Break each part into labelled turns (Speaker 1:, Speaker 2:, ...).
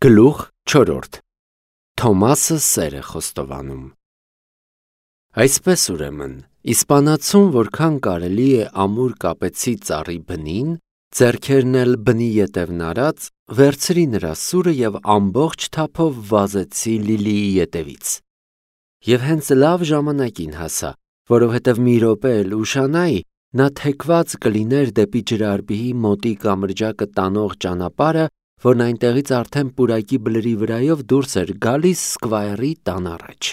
Speaker 1: Գլուխ 4. Թոմասը սեր է խոստովանում։ Այսպես ուրեմն, իսպանացուն որքան կարելի է ամուր կապեցի ծառի բնին, ձեռքերն էլ բնի ետևն արած, վերցրի նրա սուրը և ամբողջ թափով վազեցի Լիլիի ետևից։ Եվ հենց լավ ժամանակին հասա, որովհետև մի րոպե էլ ուշանայի, նա թեքված կլիներ դեպի ջրարբիի մոտի կամրջակը տանող ճանապարհը, որն այնտեղից արդեն պուրակի բլրի վրայով դուրս էր գալիս Սկվայրի տան առաջ։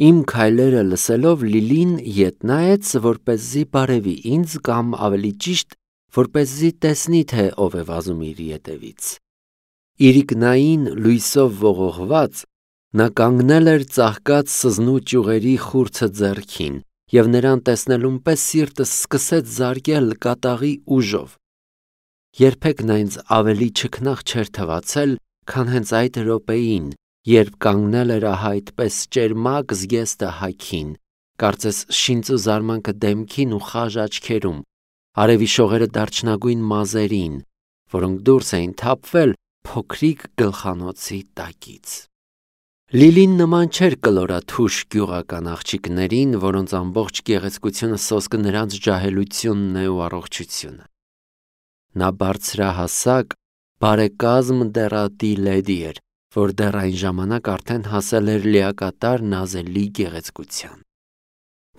Speaker 1: Իմ քայլերը լսելով Լիլին ետ նայեց, որպեսզի բարևի ինձ կամ ավելի ճիշտ, որպեսզի տեսնի, թե ով է վազում իր ետևից։ Իրիկնային լույսով ողողված, նա կանգնել էր ծաղկած սզնու ճյուղերի խուրձը ձեռքին, և նրան տեսնելուն պես սիրտս սկսեց զարկել կատաղի ուժով։ Երբեք նա ինձ ավելի չքնաղ չէր թվացել, քան հենց այդ րոպեին, երբ կանգնել էր ահա այդպես ճերմակ զգեստը հագին, կարծես շինծ ու զարմանքը դեմքին ու խաժ աչքերում, արևի շողերը դարչնագույն մազերին, որոնք դուրս էին թափվել փոքրիկ գլխանոցի տակից։ Լիլին նման չէր կլորաթուշ գյուղական աղջիկներին, որոնց ամբողջ գեղեցկությունը սոսկը նրանց ջահելությունն է ու առողջությունը։ Նա բարձրահասակ, բարեկազմ դեռատի լեդի էր, որ դեռ այն ժամանակ արդեն հասել էր լիակատար նազելի գեղեցկության։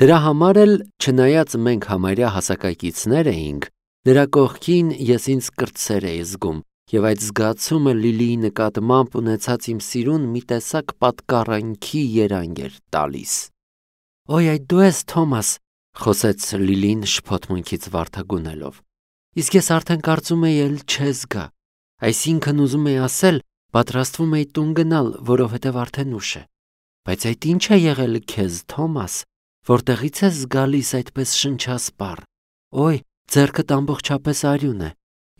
Speaker 1: Դրա համար էլ, չնայած մենք համարյա հասակակիցներ էինք, նրա կողքին ես ինձ կրտսեր էի զգում, և այդ զգացումը Լիլիի նկատմամբ ունեցած իմ սիրուն մի տեսակ պատկառանքի երանգ էր տալիս։ «Ոյ, այդ դու ես, Թոմաս», խոսեց Լիլին շփոթմունքից վարդագունելով։ «Իսկ ես արդեն կարծում էի էլ չես գա, այսինքն ուզում էի ասել, պատրաստվում էի տուն գնալ, որովհետև արդեն ուշ է։ Բայց այդ ի՞նչ է եղել քեզ, Թոմաս, որտեղից ես գալիս այդպես շնչասպառ։ Ոյ, ձեռքդ ամբողջապես արյուն է,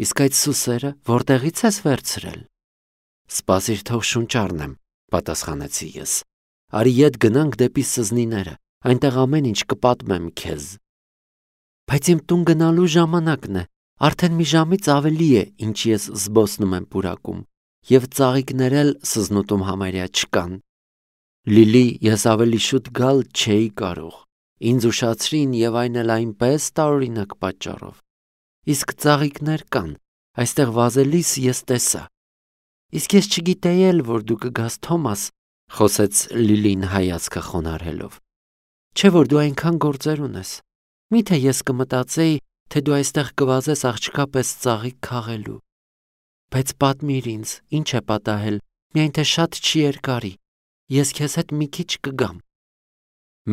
Speaker 1: իսկ այդ սուսերը որտեղից ես վերցրել»։ «Սպասիր, թող շունչ առնեմ», պատասխանեցի ես։ «Արի ետ գնանք դեպի սզնիները, այնտեղ ամեն ինչ կպատմեմ քեզ»։ «Բայց իմ տուն գնալու ժամանակն է, արդեն մի ժամից ավելի է, ինչ ես զբոսնում եմ պուրակում, և ծաղիկներ էլ սզնուտում համարյա չկան»։ «Լիլի, ես ավելի շուտ գալ չէի կարող, ինձ ուշացրին և այն էլ այնպես տարօրինակ պատճառով»։ «Իսկ ծաղիկներ կան, այստեղ վազելիս ես տեսա»։ «Իսկ ես չգիտեի էլ, որ դու կգաս, Թոմաս», խոսեց Լիլին հայացքը խոնարհելով։ «Չէ՞ որ դու այնքան գործեր ունես։ Մի՞թե ես կմտածեի, թե դու այստեղ կվազես աղջկա պես ծաղիկ քաղելու։ Բայց պատմիր ինձ, ինչ է պատահել, միայն թե շատ չի երկարի, ես քեզ հետ մի քիչ կգամ»։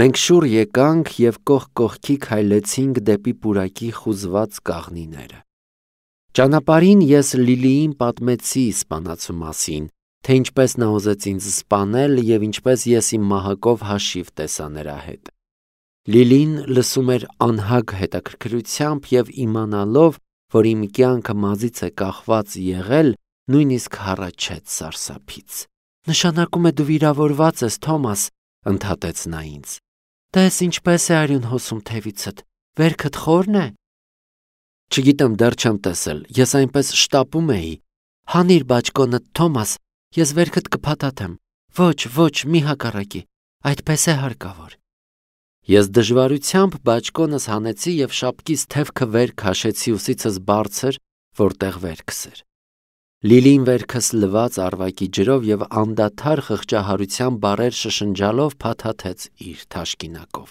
Speaker 1: Մենք շուռ եկանք և կողք կողքի քայլեցինք դեպի պուրակի խուզված կաղնիները։ Ճանապարհին ես Լիլիին պատմեցի իսպանացու մասին, թե ինչպես նա ուզեց ինձ սպանել և ինչպես ես իմ մահակով հաշիվ տեսա նրա հետ։ Լիլին լսում էր անհագ հետաքրքրությամբ և իմանալով, որ իմ կյանքը մազից է կախված եղել, նույնիսկ հառաչեց սարսափից։ «Նշանակում է դու վիրավորված ես, Թոմաս», ընդհատեց նա ինձ։ «Տես ինչպես է արյուն հոսում թևիցդ, վերքդ խորն է»։ «Չգիտեմ, դեռ չեմ տեսել, ես այնպես շտապում էի»։ «Հանիր բաճկոնդ, Թոմաս, ես վերքդ կփաթաթեմ։ Ոչ, մի հակառակի, այդպես է հարկավոր»։ Ես դժվարությամբ բաճկոնս հանեցի և շապկիս թևքը վեր քաշեցի ուսիցս բարձր, որտեղ վերքս էր։ Լիլին վերքս լվաց առվակի ջրով և անդադար խղճահարության բառեր շշնջալով փաթաթեց իր թաշկինակով։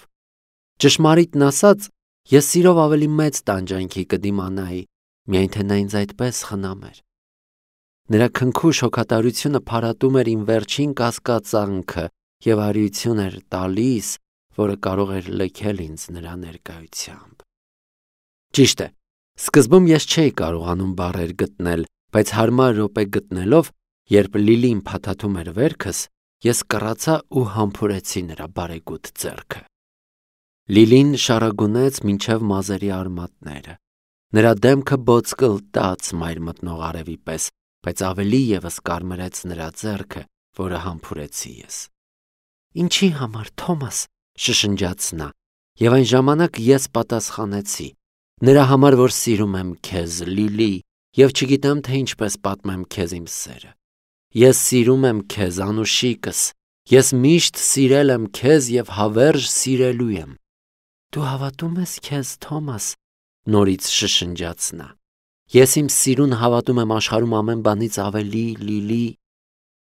Speaker 1: Ճշմարիտն ասած, ես սիրով ավելի մեծ տանջանքի կդիմանայի, միայն թե նա ինձ այդպես խնամեր։ Նրա քնքուշ հոգատարությունը փարատում էր իմ վերջին կասկածանքը և արիություն էր տալիս, որը կարող էր լքել ինձ նրա ներկայությամբ։ Ճիշտ է, սկզբում ես չէի կարողանում բառեր գտնել, բայց հարմար րոպե գտնելով, երբ Լիլին փաթաթում էր վերքս, ես կռացա ու համբուրեցի նրա բարեգութ ձեռքը։ Լիլին շառագունեց մինչև մազերի արմատները։ Նրա դեմքը բոծկլտաց մայր մտնող արևի պես, բայց ավելի ևս կարմրեց նրա ձեռքը, որը համբուրեցի ես։ «Ինչի համար, Թոմաս», շշնջաց նա, և այն ժամանակ ես պատասխանեցի. «Նրա համար, որ սիրում եմ քեզ, Լիլի, և չգիտեմ, թե ինչպես պատմեմ քեզ իմ սերը»։ Ես սիրում եմ քեզ, անուշիկս, ես միշտ սիրել եմ քեզ և հավերժ սիրելու եմ։ Դու հավատում ես քեզ, Թոմաս, նորից շշնջաց նա։ Ես իմ սիրուն հավատում եմ աշխարհում ամեն բանից ավելի, Լիլի,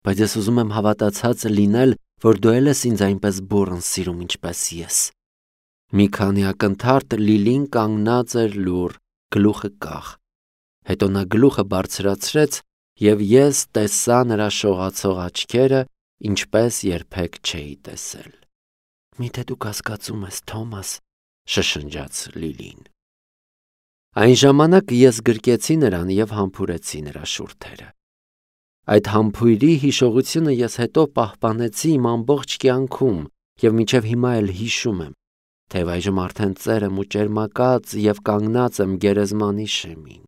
Speaker 1: բայց ես ուզում եմ հավատացած լինել, որ դու էլ ես ինձ այնպես բուռն սիրում, ինչպես ես։ Մի քանի ակնթարթ Լիլին կանգնած էր լուռ, գլուխը կախ։ Հետո նա գլուխը բարձրացրեց, և ես տեսա նրա շողացող աչքերը, ինչպես երբեք չէի տեսել։ Միթե դու կասկածում ես, Թոմաս, շշնջաց Լիլին։ Այն ժամանակ ես գրկեցի նրան և համբուրեցի նրա շուրթերը։ Այդ համբույրի հիշողությունը ես հետո պահպանեցի իմ ամբողջ կյանքում և մինչև հիմա էլ հիշում եմ, թեև այժմ արդեն ծեր եմ ու ճերմակած և կանգնած եմ գերեզմանի շեմին։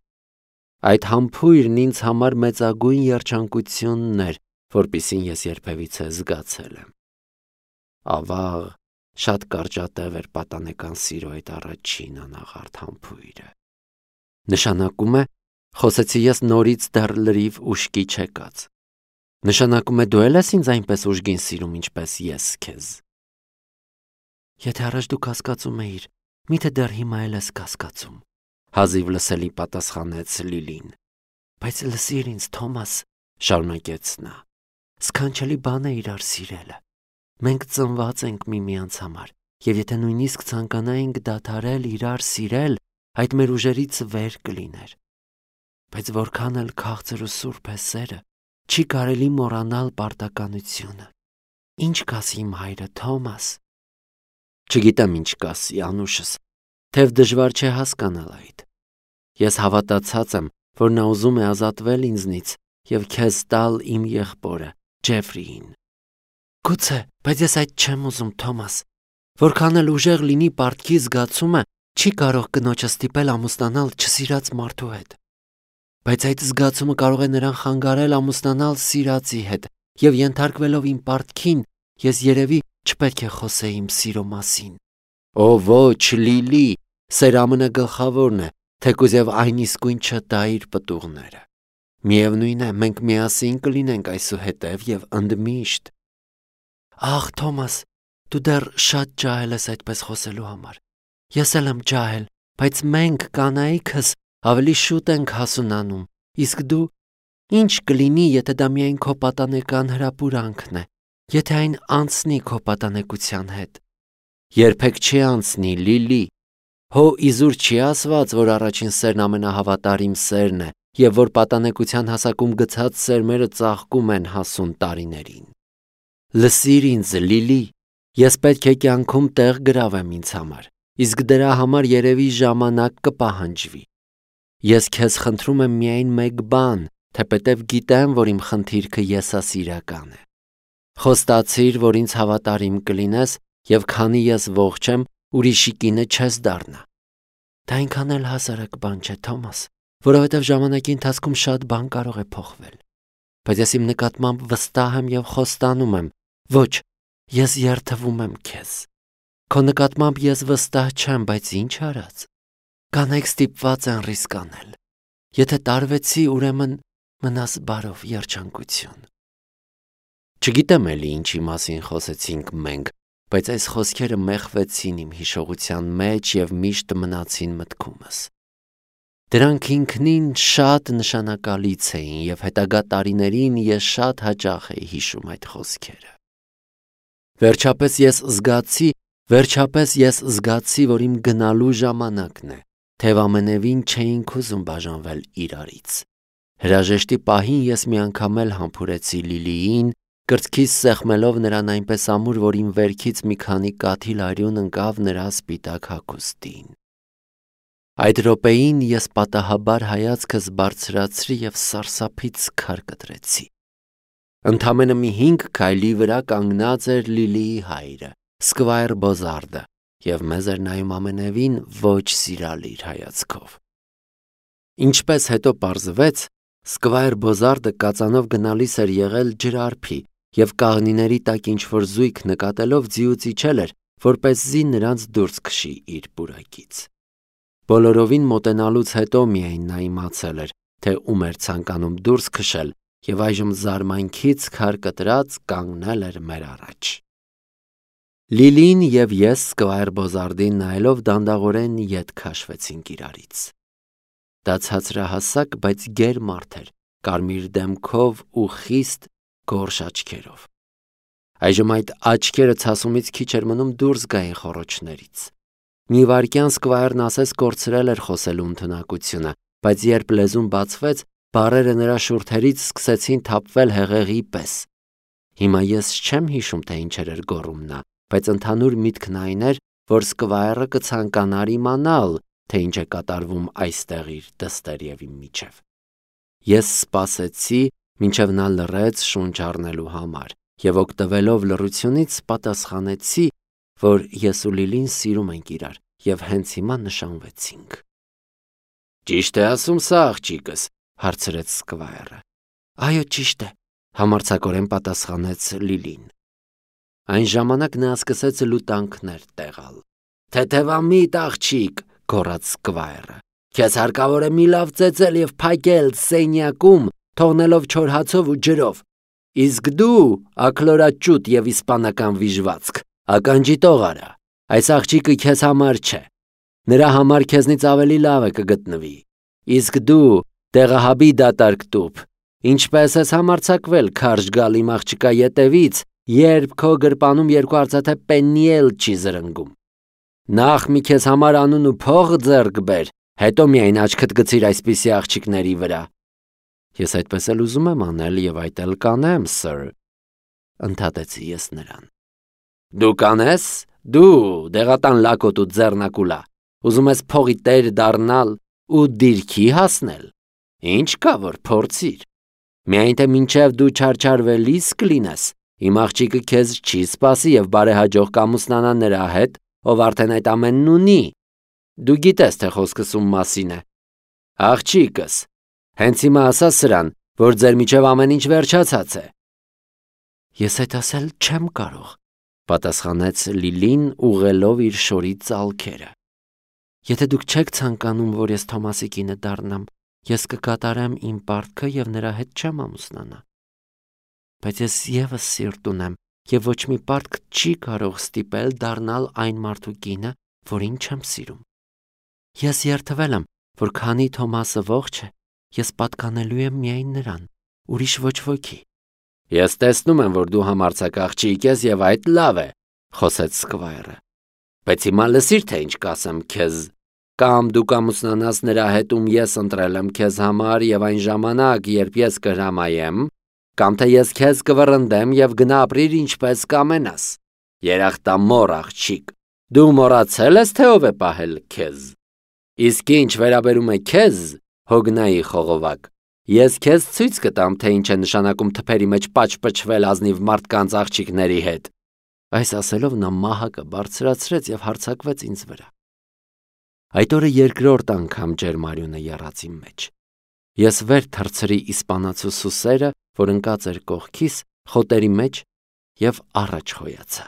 Speaker 1: Այդ համբույրն ինձ համար մեծագույն երջանկությունն էր, որպիսին ես երբևիցե զգացել եմ։ Ավաղ, շատ կարճատև էր պատանեկան սիրո այդ առաջին անաղարտ համբույրը։ Նշանակում է, խոսեցի ես նորից դեռ լրիվ ուշքի չեկած։ Նշանակում է դու էլ ես ինձ այնպես ուժգին սիրում, ինչպես ես քեզ։ Եթե առաջ դու կասկածում էիր, միթե դեռ հիմա էլ ես կասկածում, հազիվ լսելի պատասխանեց Լիլին։ Բայց լսիր ինձ, Թոմաս, շարունակեց նա, սքանչելի բան է իրար սիրելը։ Մենք ծնված ենք միմյանց համար, և եթե նույնիսկ ցանկանայինք դադարել իրար սիրել, այդ մեր ուժերից վեր կլիներ։ Բայց որքան էլ քաղցր ու սուրբ է սերը, չի կարելի մոռանալ պարտականությունը։ Ինչ կասի իմ հայրը, Թոմաս։ Չգիտեմ ինչ կասի, անուշս, թեև դժվար չէ հասկանալ այդ։ Ես հավատացած եմ, որ նա ուզում է ազատվել ինձնից և քեզ տալ իմ եղբորը, Ջեֆրիին։ Գուցե, բայց ես այդ չեմ ուզում, Թոմաս։ Որքան էլ ուժեղ լինի պարտքի զգացումը, չի կարող կնոջը ստիպել ամուսնանալ չսիրած մարդու հետ։ Բայց այդ զգացումը կարող է նրան խանգարել ամուսնանալ սիրածի հետ, և ենթարկվելով իմ պարտքին, ես երևի չպետք է խոսեի իմ սիրո մասին։ Օ ոչ, Լիլի, սեր ամենագլխավորն է, թեկուզ և այն իսկույն չտա իր պտուղները։ Միևնույն է, մենք միասին կլինենք այսուհետև և ընդմիշտ։ Ախ, Թոմաս, դու դեռ շատ ջահել ես այդպես խոսելու համար։ Ես էլ եմ ջահել, բայց մենք, կանայքս, ավելի շուտ ենք հասունանում, իսկ դու… Ինչ կլինի, եթե դա միայն քո պատանեկան հրապուրանքն է, եթե այն անցնի քո պատանեկության հետ։ Երբեք չի անցնի, Լիլի։ Հո իզուր չի ասված, որ առաջին սերն ամենահավատարիմ սերն է, և որ պատանեկության հասակում գցած սերմերը ծաղկում են հասուն տարիներին։ Լսիր ինձ, Լիլի, ես պետք է կյանքում տեղ գրավեմ ինձ համար, իսկ դրա համար երևի ժամանակ կպահանջվի։ Ես քեզ խնդրում եմ միայն մեկ բան, թեպետև գիտեմ, որ իմ խնդիրքը եսասիրական է։ Խոստացիր, որ ինձ հավատարիմ կլինես, և քանի ես ողջ եմ, ուրիշի կինը չես դառնա։ Դա այնքան էլ հասարակ բան չէ, Թոմաս, որովհետև ժամանակի ընթացքում շատ բան կարող է փոխվել։ Բայց ես իմ նկատմամբ վստահ եմ և խոստանում եմ, ոչ, ես երդվում եմ քեզ։ Քո նկատմամբ ես վստահ չեմ, բայց ինչ արած։ Կանայք ստիպված են ռիսկ անել։ Եթե տարվեցի, ուրեմն մնաս բարով, երջանկություն։ Չգիտեմ էլի ինչի մասին խոսեցինք մենք, բայց այս խոսքերը մեխվեցին իմ հիշողության մեջ և միշտ մնացին մտքումս։ Դրանք ինքնին շատ նշանակալից էին, և հետագա տարիներին ես շատ հաճախ էի հիշում այդ խոսքերը։ Վերջապես ես զգացի, որ իմ գնալու ժամանակն է, թեև ամենևին չէինք ուզում բաժանվել իրարից։ Հրաժեշտի պահին ես մի անգամ էլ համբուրեցի Լիլիին, կրծքիս սեղմելով նրան այնպես ամուր, որ իմ վերքից մի քանի կաթիլ արյուն ընկավ նրա սպիտակ հագուստին։ Այդ րոպեին ես պատահաբար հայացքս բարձրացրի և սարսափից քար կտրեցի։ Ընդամենը մի 5 քայլի վրա կանգնած էր Լիլիի հայրը, Սկվայր Բոզարդը, և մեզ էր նայում ամենևին ոչ սիրալիր հայացքով։ Ինչպես հետո պարզվեց, Սկվայր Բոզարդը կածանով գնալիս էր եղել ջրարփի և կաղնիների տակ ինչ-որ զույգ նկատելով ձիուց իջել էր, որպեսզի նրանց դուրս քշի իր պուրակից։ Բոլորովին մոտենալուց հետո միայն նա իմացել էր, թե ում էր ցանկանում դուրս քշել եւ այժմ զարմանքից քար կտրած կանգնել էր մեր առաջ։ Լիլին եւ ես Սկվայր Բոզարդին նայելով դանդաղորեն ետ քաշվեցինք իրարից։ Դա ցածրահասակ, բայց գեր մարդ էր, կարմիր դեմքով ու խիստ գորշ աչքերով։ Այժմ այդ աչքերը ցասումից քիչ էր մնում դուրս գային խոռոչներից։ Մի վայրկյան Սկվայրն ասես կորցրել էր խոսելու ընդունակությունը, բայց երբ լեզուն բացվեց, բառերը նրա շուրթերից սկսեցին թափվել հեղեղի պես։ Հիմա ես չեմ հիշում, թե ինչեր էր գոռում նա, բայց ընդհանուր միտքն այն էր, որ Սկվայրը կցանկանար իմանալ, թե ինչ է կատարվում այստեղ իր դստերևի միջև։ Ես սպասեցի, մինչև նա լռեց շունչ առնելու համար, եւ օգտվելով լռությունից պատասխանեցի, որ ես ու Լիլին սիրում ենք իրար, եւ հենց հիմա նշանվեցինք։ Ճիշտ է ասում սա աղջիկս, հարցրեց Սկվայրը։ Այո, ճիշտ է, համարձակորեն պատասխանեց Լիլին։ Այն ժամանակ նա սկսեց լուտանքներ տեղալ։ Թեթևամիտ աղջիկ, գոռաց Սկվայրը, քեզ հարկավոր է մի լավ ծեծել եւ փակել սենյակում, թողնելով չոր հացով ու ջրով։ Իսկ դու ակլորաճուտ եւ իսպանական վիժվածք, ականջի տող արա, այս աղջիկը քեզ համար չէ։ Նրա համար քեզնից ավելի լավը կգտնվի։ Իսկ դու դեղահաբի դատարկ տուփ, ինչպես ես համարձակվել քարշ գալ իմ աղջկա ետևից, երբ քո գրպանում երկու արծաթե պեննի էլ չի զրնգում։ Նախ մի քեզ համար անուն ու փող ձեռք բեր, հետո միայն աչքդ գցիր այսպիսի աղջիկների վրա։ Ես այդպես էլ ուզում եմ անել եւ այդ էլ կանեմ, սըր, ընդհատեցի ես նրան։ Դու կանես, դու դեղատան լակոտ ու ձեռնակուլա, ուզում ես փողի տեր դառնալ ու դիրքի հասնել։ Ինչ կա որ փորձիր։ Միայն թե մինչև դու չարչարվելիս կլինես, իմ աղջիկը քեզ չի սպասի եւ բարեհաջող կամուսնանա նրա հետ, ով արդեն այդ ամենն ունի։ Դու գիտես, թե խոսքս ում մասին է։ Աղջիկս, հենց հիմա ասա սրան, որ ձեր միջև ամեն ինչ վերջացած է։ Ես այդ ասել չեմ կարող, պատասխանեց Լիլին ուղղելով իր շորի ծալքերը։ Եթե դուք չեք ցանկանում, որ ես Թոմասի կինը դառնամ, ես կկատարեմ իմ պարտքը եւ նրա հետ չեմ ամուսնանա։ Բայց ես եւս սիրտ ունեմ եւ ոչ մի պարտք չի կարող ստիպել դառնալ այն մարդու կինը, որին չեմ սիրում։ Ես երդվել եմ, որ քանի Թոմասը ողջ է, ես պատկանելու եմ միայն նրան, ուրիշ ոչ ոքի։ Ես տեսնում եմ, որ դու համարձակ աղջիկ ես եւ այդ լավ է, խոսեց Սկվայրը։ Բայց հիմա լսիր, թե ինչ կասեմ քեզ։ Կամ դու կամուսնանաս նրա հետ, ում ես ընտրել եմ քեզ համար եւ այն ժամանակ, երբ ես կհրամայեմ, կամ թե ես քեզ կվռնդեմ եւ գնա ապրիր ինչպես կամենաս։ Երախտամոռ աղջիկ, դու մոռացել ես, թե ով է պահել քեզ։ Իսկ ինչ վերաբերում է քեզ, հոգնայի խողովակ, ես քեզ ցույց կտամ, թե ինչ է նշանակում թփերի մեջ պաճպճվել ազնիվ մարդկանց աղջիկների հետ։ Այս ասելով նա մահակը բարձրացրեց եւ հարձակվեց ինձ վրա։ Այդ օրը երկրորդ անգամ ջերմարյունը եռաց իմ մեջ։ Ես վեր թռցրի իսպանացու սուսերը, որ ընկած էր կողքիս, խոտերի մեջ եւ առաջ հոյացա։